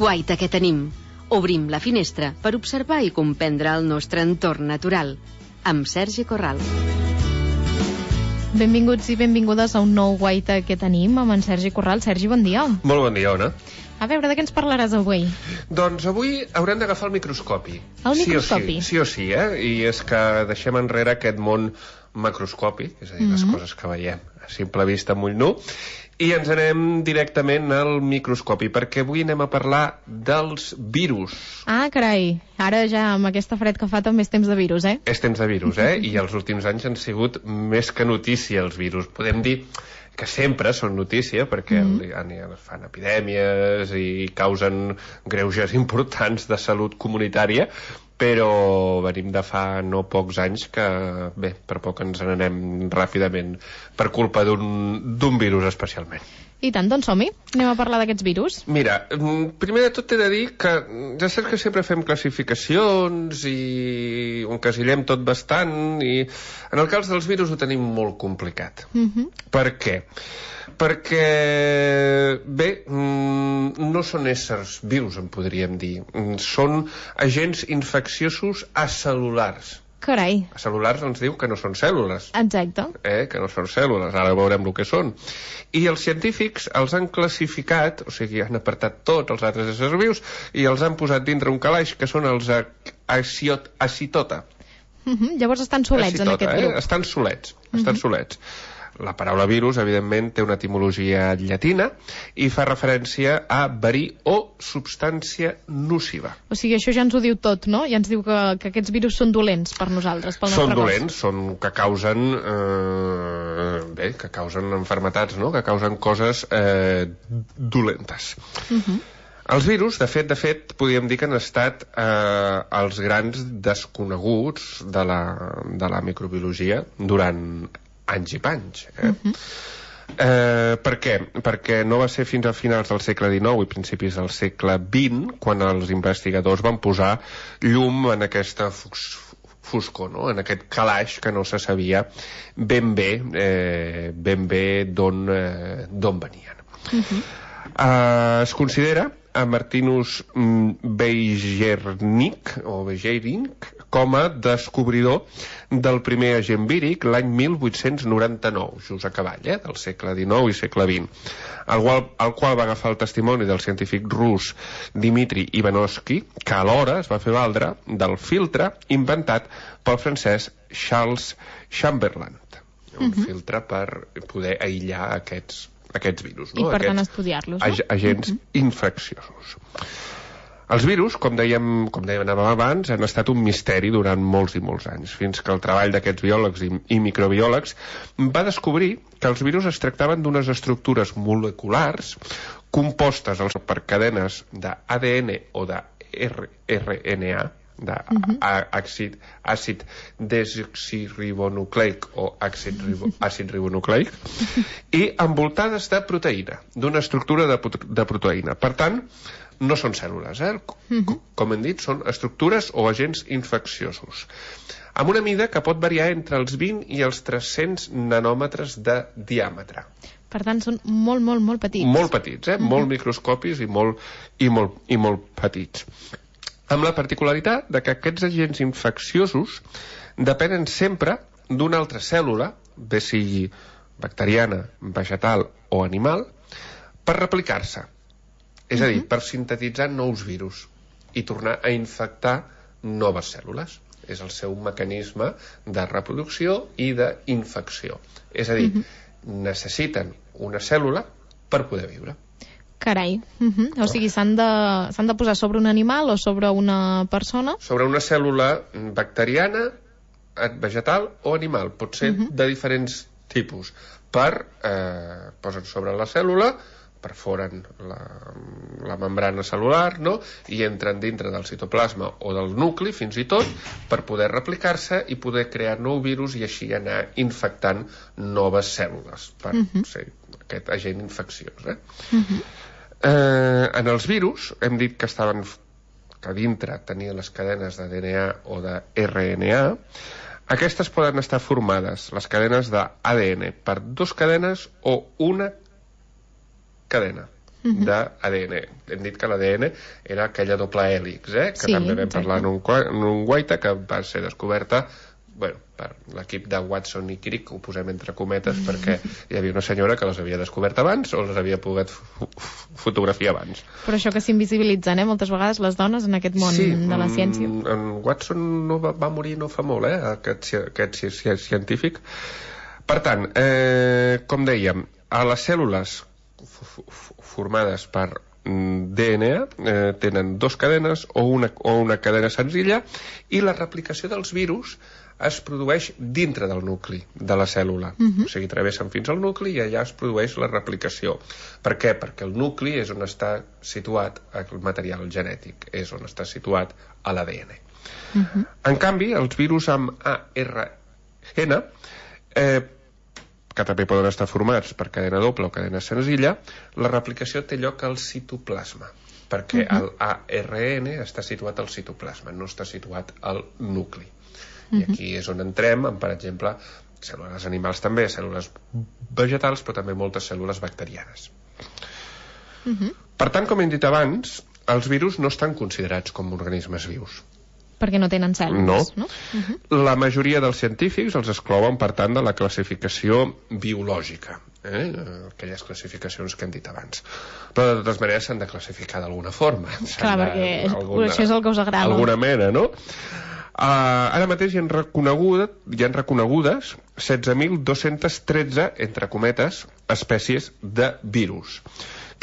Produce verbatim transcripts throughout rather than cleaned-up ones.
Guaita que tenim. Obrim la finestra per observar i comprendre el nostre entorn natural. Amb Sergi Corral. Benvinguts i benvingudes a un nou Guaita que tenim amb en Sergi Corral. Sergi, bon dia. Molt bon dia, Ona. A veure, de què ens parlaràs avui? Doncs avui haurem d'agafar el microscopi. El microscopi? Sí o sí, sí o sí, eh? I és que deixem enrere aquest món macroscòpic, és a dir, mm-hmm. les coses que veiem a simple vista amb ull nu, i ens anem directament al microscopi, perquè avui anem a parlar dels virus. Ah, carai, ara ja amb aquesta fred que fa també és temps de virus, eh? És temps de virus, eh? I els últims anys han sigut més que notícia els virus. Podem dir que sempre són notícia, perquè mm. fan epidèmies i causen greuges importants de salut comunitària, però venim de fa no pocs anys que, bé, per poc ens n'anem ràpidament per culpa d'un virus especialment. I tant, doncs som-hi. Anem a parlar d'aquests virus. Mira, primer de tot he de dir que ja saps que sempre fem classificacions i ho encasillem tot bastant, i en el cas dels virus ho tenim molt complicat. Mm-hmm. Per què? Perquè, bé, no són éssers vius, en podríem dir. Són agents infecciosos acel·lulars. Carai. Acel·lulars ens diu que no són cèl·lules. Exacte. Eh, que no són cèl·lules, ara veurem el que són. I els científics els han classificat, o sigui, han apartat tots els altres éssers vius i els han posat dintre un calaix que són els aciot, acitota. Mm-hmm. Llavors estan solets acitota, en aquest grup. Eh? Estan solets, estan mm-hmm. solets. La paraula virus, evidentment, té una etimologia llatina i fa referència a verí o substància nociva. O sigui, això ja ens ho diu tot, no? Ja ens diu que, que aquests virus són dolents per nosaltres, pel nostre cos. Són dolents, són que causen, eh, bé, que causen enfermetats, no? Que causen coses eh, dolentes. Uh-huh. Els virus, de fet, de fet, podríem dir que han estat eh, els grans desconeguts de la, de la microbiologia durant anys i panys. Eh? Uh-huh. Eh, per què? Perquè no va ser fins a finals del segle dinou i principis del segle vint quan els investigadors van posar llum en aquesta foscor, no? En aquest calaix que no se sabia ben bé, eh, ben bé d'on eh, d'on venien. Uh-huh. Eh, es considera a Martinus Beijerinck o Beijerinck com a descobridor del primer agent víric l'any mil vuit-cents noranta-nou, just a cavall, eh, del segle dinou i segle vint, el qual, el qual va agafar el testimoni del científic rus Dmitri Ivanovsky, que alhora es va fer valdre del filtre inventat pel francès Charles Chamberlain, un uh-huh. filtre per poder aïllar aquests aquests virus, no? I per aquests tant estudiar-los, no? ag agents uh-huh. infecciosos. Els virus, com dèiem, com dèiem abans, han estat un misteri durant molts i molts anys, fins que el treball d'aquests biòlegs i, i microbiòlegs va descobrir que els virus es tractaven d'unes estructures moleculars compostes per cadenes d'A D N o de R N A, d'àcid uh-huh. àcid desoxiribonucleic o àcid, ribo, àcid ribonucleic i envoltades de proteïna, d'una estructura de, de proteïna. Per tant, no són cèl·lules, eh? Uh-huh. Com hem dit, són estructures o agents infecciosos, amb una mida que pot variar entre els vint i els tres-cents nanòmetres de diàmetre. Per tant, són molt, molt, molt petits. Molt petits, eh? Uh-huh. Molt microscopis i molt, i molt, i molt petits. Amb la particularitat de que aquests agents infecciosos depenen sempre d'una altra cèl·lula, bé sigui bacteriana, vegetal o animal, per replicar-se. És a dir, per sintetitzar nous virus i tornar a infectar noves cèl·lules. És el seu mecanisme de reproducció i d'infecció. És a dir, necessiten una cèl·lula per poder viure. Carai, uh-huh. o sigui, s'han de, s'han de posar sobre un animal o sobre una persona? Sobre una cèl·lula bacteriana, vegetal o animal. Pot ser uh-huh. de diferents tipus. Per, eh, posen sobre la cèl·lula, perforen la, la membrana cel·lular, no? I entren dintre del citoplasma o del nucli, fins i tot, per poder replicar-se i poder crear nou virus i així anar infectant noves cèl·lules per uh-huh. ser aquest agent infecciós. Eh? Uh-huh. Eh, en els virus hem dit que estaven que dintre tenien les cadenes de D N A o de R N A, aquestes poden estar formades, les cadenes d'A D N, per dues cadenes o una cadena uh-huh. d'A D N. Hem dit que l'A D N era aquella doble hèlix, eh? que sí, també vam exacte. parlar en un, en un guaita, que va ser descoberta bueno, per l'equip de Watson i Crick, que ho posem entre cometes perquè hi havia una senyora que les havia descobert abans o les havia pogut fotografiar abans. Però això que s'invisibilitzen, eh, moltes vegades les dones en aquest món sí, de la ciència. En Watson no va, va morir no fa molt, eh, aquest, aquest científic. Per tant, eh, com dèiem, a les cèl·lules formades per D N A eh, tenen dues cadenes o una, o una cadena senzilla, i la replicació dels virus es produeix dintre del nucli de la cèl·lula. Uh-huh. O sigui, travessen fins al nucli i allà es produeix la replicació. Per què? Perquè el nucli és on està situat el material genètic, és on està situat a l'A D N. Uh-huh. En canvi, els virus amb A R N, eh, que també poden estar formats per cadena doble o cadena senzilla, la replicació té lloc al citoplasma, perquè uh-huh. el A R N està situat al citoplasma, no està situat al nucli. I aquí és on entrem, amb, per exemple, cèl·lules animals també, cèl·lules vegetals, però també moltes cèl·lules bacterianes. Uh-huh. Per tant, com hem dit abans, els virus no estan considerats com organismes vius. Perquè no tenen cèl·lules, no? no? Uh-huh. La majoria dels científics els exclouen, per tant, de la classificació biològica, eh? Aquelles classificacions que hem dit abans. Però, de totes maneres, s'han de classificar d'alguna forma. Clar, de, perquè alguna, això és el que us agrada. Alguna mena, no? Uh, ara mateix hi han, reconegut, hi han reconegudes setze mil dos-cents tretze, entre cometes, espècies de virus.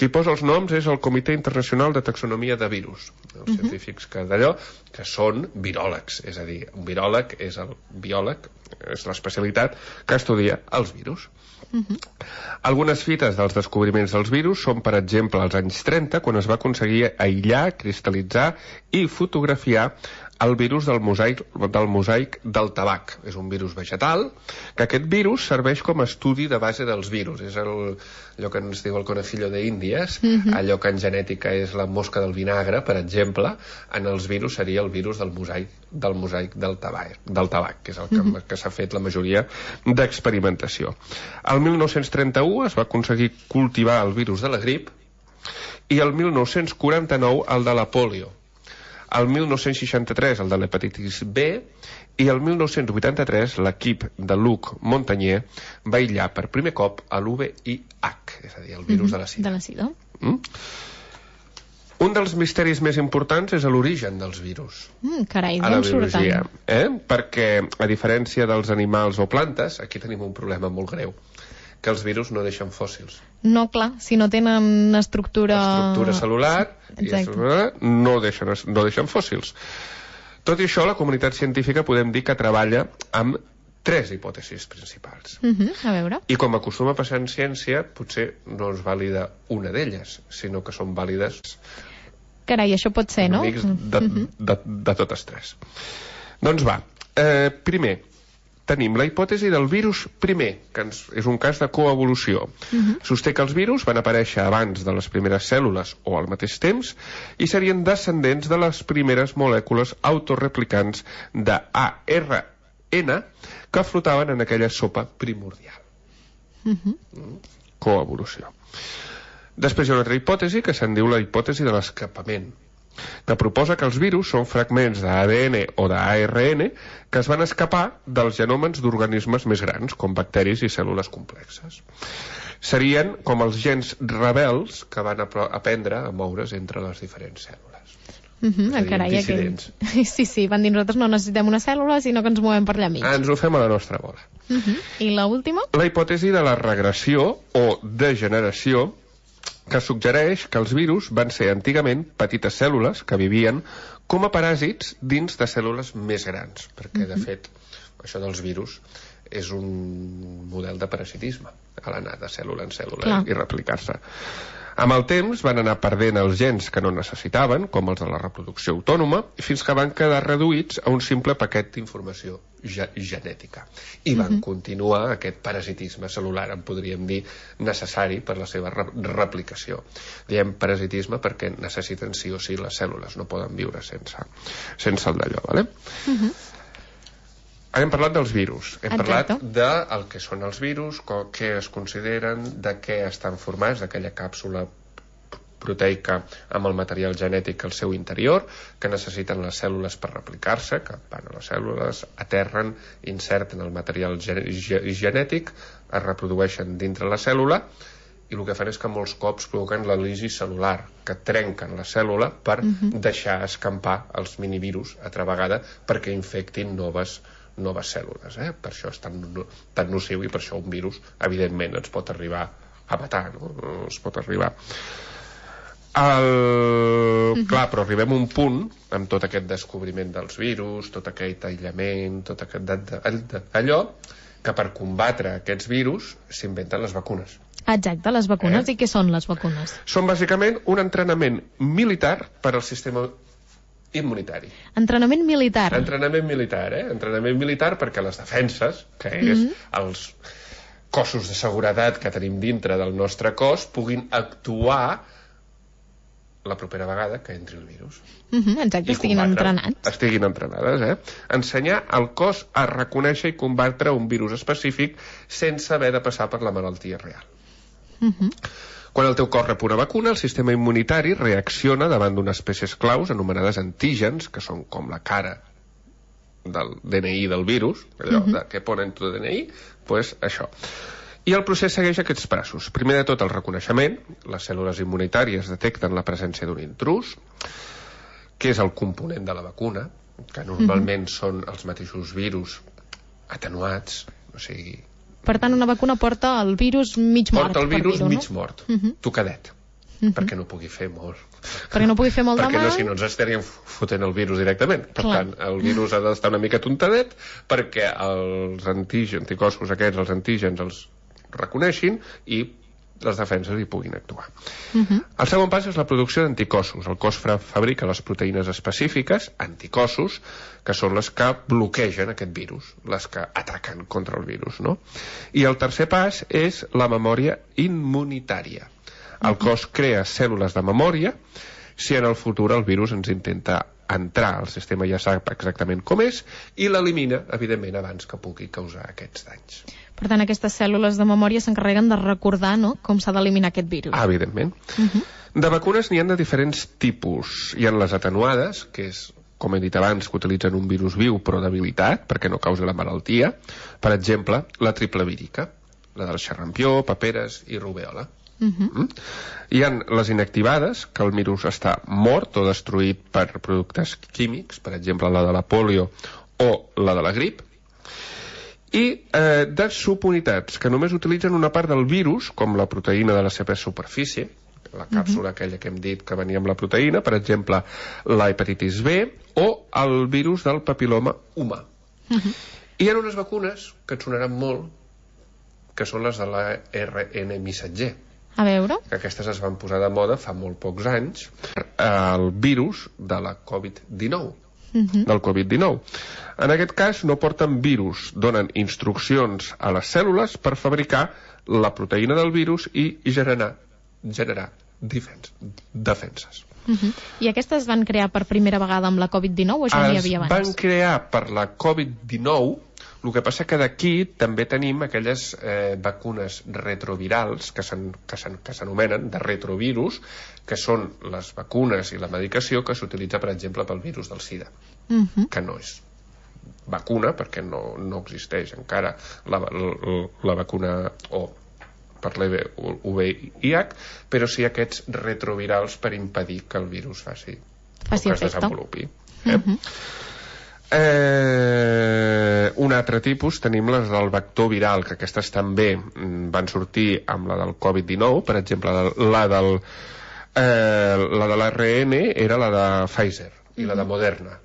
Qui posa els noms és el Comitè Internacional de Taxonomia de Virus, els uh-huh. científics que d'allò, que són viròlegs, és a dir, un viròleg és el biòleg, és l'especialitat que estudia els virus. Uh-huh. Algunes fites dels descobriments dels virus són, per exemple, als anys trenta, quan es va aconseguir aïllar, cristal·litzar i fotografiar el virus del mosaic, del mosaic del tabac. És un virus vegetal, que aquest virus serveix com a estudi de base dels virus. És el, allò que ens diu el conejillo de Índies, mm-hmm. allò que en genètica és la mosca del vinagre, per exemple, en els virus seria el virus del mosaic del, mosaic del, tabac, del tabac, que és el que, mm-hmm. que s'ha fet la majoria d'experimentació. El mil nou-cents trenta-u es va aconseguir cultivar el virus de la grip i el mil nou-cents quaranta-nou el de la polio. El mil nou-cents seixanta-tres el de l'hepatitis B i el mil nou-cents vuitanta-tres l'equip de Luc Montagnier va aïllar per primer cop a l'U V I H, és a dir, el virus mm-hmm. de la sida. De la sida. Mm? Un dels misteris més importants és l'origen dels virus. Mm, carai, a la biologia, eh? Perquè, a diferència dels animals o plantes, aquí tenim un problema molt greu, que els virus no deixen fòssils. No, clar, si no tenen estructura... Estructura cel·lular, i estructura, no, deixen, no deixen fòssils. Tot i això, la comunitat científica podem dir que treballa amb tres hipòtesis principals. Uh-huh, a veure. I com acostuma a passar en ciència, potser no és vàlida una d'elles, sinó que són vàlides... Carai, això pot ser, no? Amics de, uh-huh. de, de, de totes tres. Doncs va, eh, primer, tenim la hipòtesi del virus primer, que ens, és un cas de coevolució. Uh-huh. Sosté que els virus van aparèixer abans de les primeres cèl·lules o al mateix temps i serien descendents de les primeres molècules autoreplicants d'A R N que flotaven en aquella sopa primordial. Uh-huh. Coevolució. Després hi ha una altra hipòtesi que se'n diu la hipòtesi de l'escapament, que proposa que els virus són fragments d'A D N o d'A R N que es van escapar dels genòmens d'organismes més grans, com bacteris i cèl·lules complexes. Serien com els gens rebels que van aprendre a moure's entre les diferents cèl·lules. Uh-huh, dir, carai, dissidents. Aquell... Sí, sí, van dir nosaltres no necessitem una cèl·lula, sinó que ens movem per allà mig. Ens ho fem a la nostra bola. Uh-huh. I l'última? La hipòtesi de la regressió o degeneració, que suggereix que els virus van ser antigament petites cèl·lules que vivien com a paràsits dins de cèl·lules més grans, perquè de fet això dels virus és un model de parasitisme, a l'anar de cèl·lula en cèl·lula Clar. i replicar-se. Amb el temps van anar perdent els gens que no necessitaven, com els de la reproducció autònoma, fins que van quedar reduïts a un simple paquet d'informació ge genètica. I van uh-huh. continuar aquest parasitisme cel·lular, en podríem dir, necessari per la seva re replicació. Diem parasitisme perquè necessiten sí o sí les cèl·lules, no poden viure sense, sense el d'allò, ¿vale? Uh-huh. Hem parlat dels virus, hem Exacte. parlat del que són els virus, què es consideren, de què estan formats, d'aquella càpsula proteica amb el material genètic al seu interior, que necessiten les cèl·lules per replicar-se, que van a les cèl·lules, aterren, inserten el material genètic, es reprodueixen dintre la cèl·lula, i el que fan és que molts cops provoquen la lisi cel·lular, que trenquen la cèl·lula per uh-huh. deixar escampar els minivirus altra vegada perquè infectin noves noves cèl·lules, eh? Per això és tan, tan nociu i per això un virus evidentment ens pot arribar a matar, no? Es pot arribar el... Mm-hmm. Clar, però arribem a un punt amb tot aquest descobriment dels virus, tot aquest aïllament, tot aquest allò, que per combatre aquests virus s'inventen les vacunes. Exacte, les vacunes. Eh? I què són les vacunes? Són bàsicament un entrenament militar per al sistema immunitari. Entrenament militar. Entrenament militar, eh? Entrenament militar perquè les defenses, que és mm-hmm. els cossos de seguretat que tenim dintre del nostre cos, puguin actuar la propera vegada que entri el virus. Mm-hmm, exacte, estiguin entrenats. Estiguin entrenades, eh? Ensenyar al cos a reconèixer i combatre un virus específic sense haver de passar per la malaltia real. Mm-hmm. Quan el teu cos rep una vacuna, el sistema immunitari reacciona davant d'unes peces claus anomenades antígens, que són com la cara del D N I del virus, allò uh-huh. de què ponen tu D N I, pues això. I el procés segueix aquests passos. Primer de tot el reconeixement, les cèl·lules immunitàries detecten la presència d'un intrus, que és el component de la vacuna, que normalment uh-huh. són els mateixos virus atenuats, o sigui... Per tant, una vacuna porta el virus mig mort. Porta el virus mig no? mort, uh-huh. tocadet, uh-huh. perquè no pugui fer molt. Perquè no pugui fer molt de mal. Perquè no, si no ens estaríem fotent el virus directament. Per Clar. tant, el virus ha d'estar una mica tontadet perquè els antígens, anticossos aquests, els antígens els reconeixin i les defenses hi puguin actuar. Uh-huh. El segon pas és la producció d'anticossos. El cos fabrica les proteïnes específiques, anticossos, que són les que bloquegen aquest virus, les que ataquen contra el virus, no? I el tercer pas és la memòria immunitària. El cos crea cèl·lules de memòria si en el futur el virus ens intenta entrar, el sistema ja sap exactament com és i l'elimina, evidentment, abans que pugui causar aquests danys. Per tant, aquestes cèl·lules de memòria s'encarreguen de recordar, no?, com s'ha d'eliminar aquest virus. Ah, evidentment. Uh-huh. De vacunes n'hi ha de diferents tipus. Hi ha les atenuades, que és, com he dit abans, que utilitzen un virus viu però debilitat, perquè no causi la malaltia. Per exemple, la triple vírica, la del xarrampió, paperes i rubèola. Uh-huh. Mm? Hi ha les inactivades, que el virus està mort o destruït per productes químics, per exemple, la de la polio o la de la grip. I eh, de subunitats que només utilitzen una part del virus, com la proteïna de la seva superfície, la càpsula uh-huh. aquella que hem dit que venia amb la proteïna, per exemple, la hepatitis B o el virus del papiloma humà. Uh-huh. I hi ha unes vacunes que et sonaran molt, que són les de la R N missatger. A veure? Que aquestes es van posar de moda fa molt pocs anys, el virus de la covid dinou. Uh-huh. del covid dinou. En aquest cas no porten virus, donen instruccions a les cèl·lules per fabricar la proteïna del virus i generar, generar defens, defenses. Uh-huh. I aquestes van crear per primera vegada amb la covid dinou o això n'hi havia abans? Es van crear per la covid dinou, el que passa que d'aquí també tenim aquelles eh, vacunes retrovirals que s'anomenen de retrovirus, que són les vacunes i la medicació que s'utilitza, per exemple, pel virus del SIDA, uh-huh. que no és vacuna perquè no, no existeix encara la, la, la vacuna o per l'H I V I, però sí aquests retrovirals per impedir que el virus faci, faci que es desenvolupi. Eh? Uh-huh. Eh, un altre tipus tenim les del vector viral, que aquestes també van sortir amb la del covid dinou, per exemple la del eh, la de l'A R N era la de Pfizer i la de Moderna,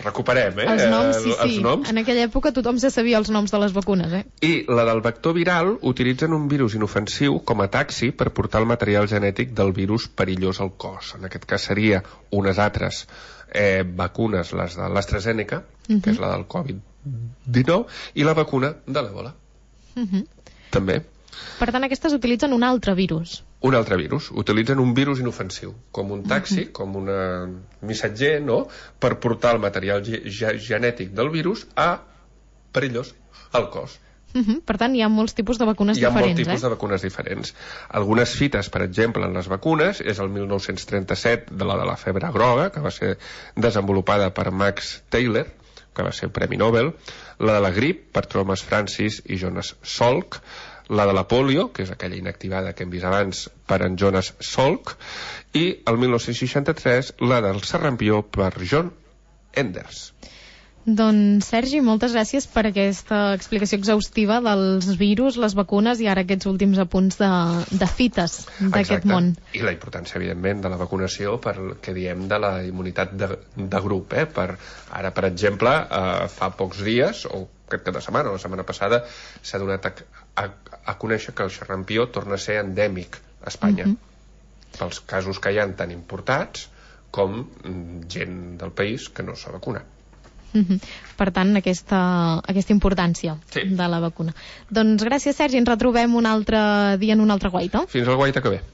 recuperem, eh? Els noms, sí, els sí. noms. En aquella època tothom se sabia els noms de les vacunes, eh? I la del vector viral utilitzen un virus inofensiu com a taxi per portar el material genètic del virus perillós al cos. En aquest cas seria unes altres eh, vacunes, les de l'AstraZeneca, uh-huh. que és la del covid dinou, i la vacuna de l'Ebola. Uh-huh. També. Per tant, aquestes utilitzen un altre virus. Un altre virus. Utilitzen un virus inofensiu, com un taxi, uh-huh. com un missatger, no?, per portar el material ge genètic del virus a perillós al cos. Uh-huh. Per tant, hi ha molts tipus de vacunes hi ha diferents. Hi ha molts tipus eh? de vacunes diferents. Algunes fites, per exemple, en les vacunes, és el mil nou-cents trenta-set, de la de la febre groga, que va ser desenvolupada per Max Taylor, que va ser Premi Nobel, la de la grip, per Thomas Francis i Jonas Salk, la de la polio, que és aquella inactivada que hem vist abans, per en Jonas Salk, i el mil nou-cents seixanta-tres la del sarampió per John Enders. Doncs, Sergi, moltes gràcies per aquesta explicació exhaustiva dels virus, les vacunes i ara aquests últims apunts de, de fites d'aquest món. I la importància, evidentment, de la vacunació per el que diem de la immunitat de, de grup. Eh? Per, ara, per exemple, eh, fa pocs dies, o aquest cap de setmana, o la setmana passada, s'ha donat a, a, a conèixer que el xarampió torna a ser endèmic a Espanya. Uh-huh. Pels casos que hi ha tan importats com gent del país que no s'ha vacunat. Uh-huh. Per tant, aquesta, aquesta importància sí. de la vacuna. Doncs gràcies, Sergi, ens retrobem un altre dia en un altre guaita. Fins al guaita que ve.